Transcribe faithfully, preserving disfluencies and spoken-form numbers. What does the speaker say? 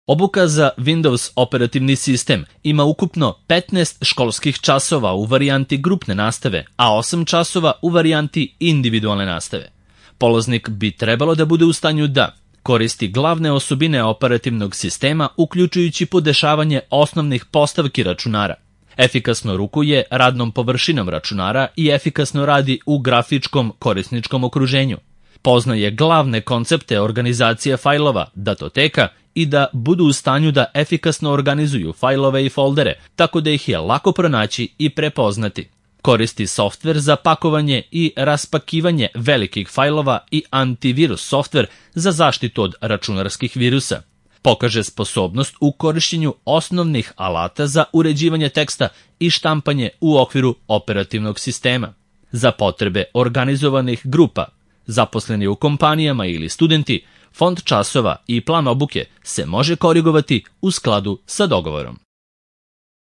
Obuka za Windows operativni sistem ima ukupno petnaest školskih časova u varijanti grupne nastave, a osam časova u varijanti individualne nastave. Polaznik bi trebalo da bude u stanju da koristi glavne osobine operativnog sistema, uključujući podešavanje osnovnih postavki računara, efikasno rukuje radnom površinom računara i efikasno radi u grafičkom korisničkom okruženju, poznaje glavne koncepte organizacije fajlova, datoteka i da budu u stanju da efikasno organizuju fajlove i foldere, tako da ih je lako pronaći i prepoznati. Koristi softver za pakovanje i raspakivanje velikih fajlova i antivirus softver za zaštitu od računarskih virusa. Pokaže sposobnost u korišćenju osnovnih alata za uređivanje teksta i štampanje u okviru operativnog sistema. Za potrebe organizovanih grupa, zaposleni u kompanijama ili studenti, fond časova i plan obuke se može korigovati u skladu sa dogovorom.